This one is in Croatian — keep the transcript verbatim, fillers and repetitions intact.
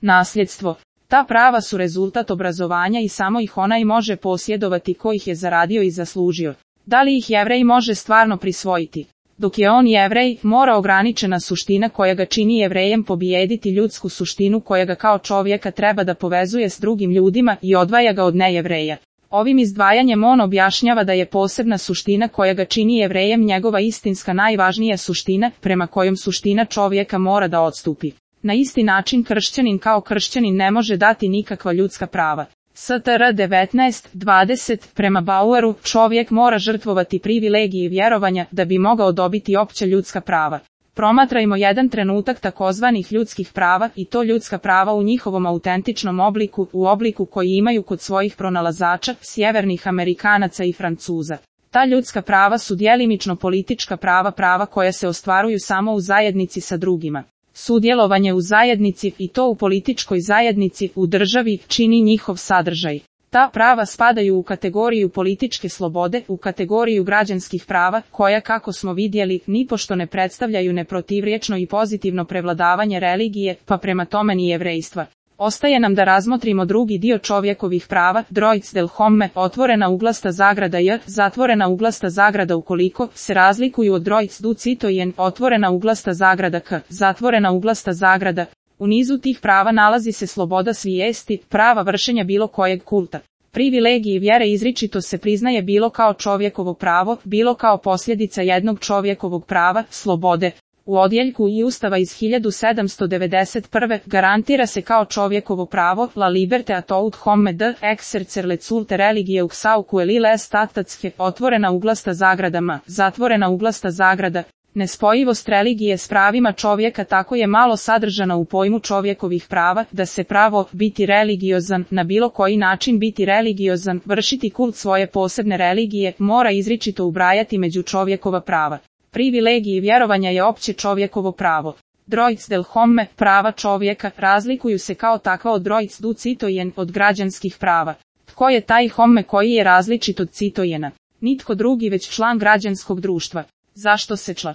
Nasljedstvo. Ta prava su rezultat obrazovanja i samo ih onaj može posjedovati ko ih je zaradio i zaslužio. Da li ih Jevrej može stvarno prisvojiti? Dok je on Jevrej, mora ograničena suština koja ga čini Jevrejem pobijediti ljudsku suštinu koja ga kao čovjeka treba da povezuje s drugim ljudima i odvaja ga od nejevreja. Ovim izdvajanjem on objašnjava da je posebna suština koja ga čini Jevrejem njegova istinska najvažnija suština, prema kojom suština čovjeka mora da odstupi. Na isti način kršćanin kao kršćanin ne može dati nikakva ljudska prava. S T R devetnaest dvadeset, prema Baueru, čovjek mora žrtvovati privilegije vjerovanja da bi mogao dobiti opća ljudska prava. Promatrajmo jedan trenutak takozvanih ljudskih prava i to ljudska prava u njihovom autentičnom obliku, u obliku koji imaju kod svojih pronalazača, sjevernih Amerikanaca i Francuza. Ta ljudska prava su djelimično politička prava, prava koja se ostvaruju samo u zajednici sa drugima. Sudjelovanje u zajednici, i to u političkoj zajednici, u državi, čini njihov sadržaj. Ta prava spadaju u kategoriju političke slobode, u kategoriju građanskih prava, koja, kako smo vidjeli, nipošto ne predstavljaju neprotivriječno i pozitivno prevladavanje religije, pa prema tome ni jevrejstva. Ostaje nam da razmotrimo drugi dio čovjekovih prava, Droits del Homme, otvorena uglasta zagrada J, zatvorena uglasta zagrada ukoliko se razlikuju od Droits du Citoyen, otvorena uglasta zagrada K, zatvorena uglasta zagrada. U nizu tih prava nalazi se sloboda svijesti, prava vršenja bilo kojeg kulta. Privilegiji vjere izričito se priznaje bilo kao čovjekovo pravo, bilo kao posljedica jednog čovjekovog prava, slobode. U odjeljku i Ustava iz hiljadu sedamsto devedeset prve. garantira se kao čovjekovo pravo, la liberte a tout homme de exercer culte religieux sau quelle statutske, otvorena uglasta zagrada M, zatvorena uglasta zagrada. Nespojivost religije s pravima čovjeka tako je malo sadržana u pojmu čovjekovih prava, da se pravo biti religiozan, na bilo koji način biti religiozan, vršiti kult svoje posebne religije, mora izričito ubrajati među čovjekova prava. Privilegiji vjerovanja je opće čovjekovo pravo. Droits del Homme, prava čovjeka, razlikuju se kao takva od Droits du Citoyen, od građanskih prava. Tko je taj Homme koji je različit od Citoyena? Nitko drugi već član građanskog društva. Zašto se čla?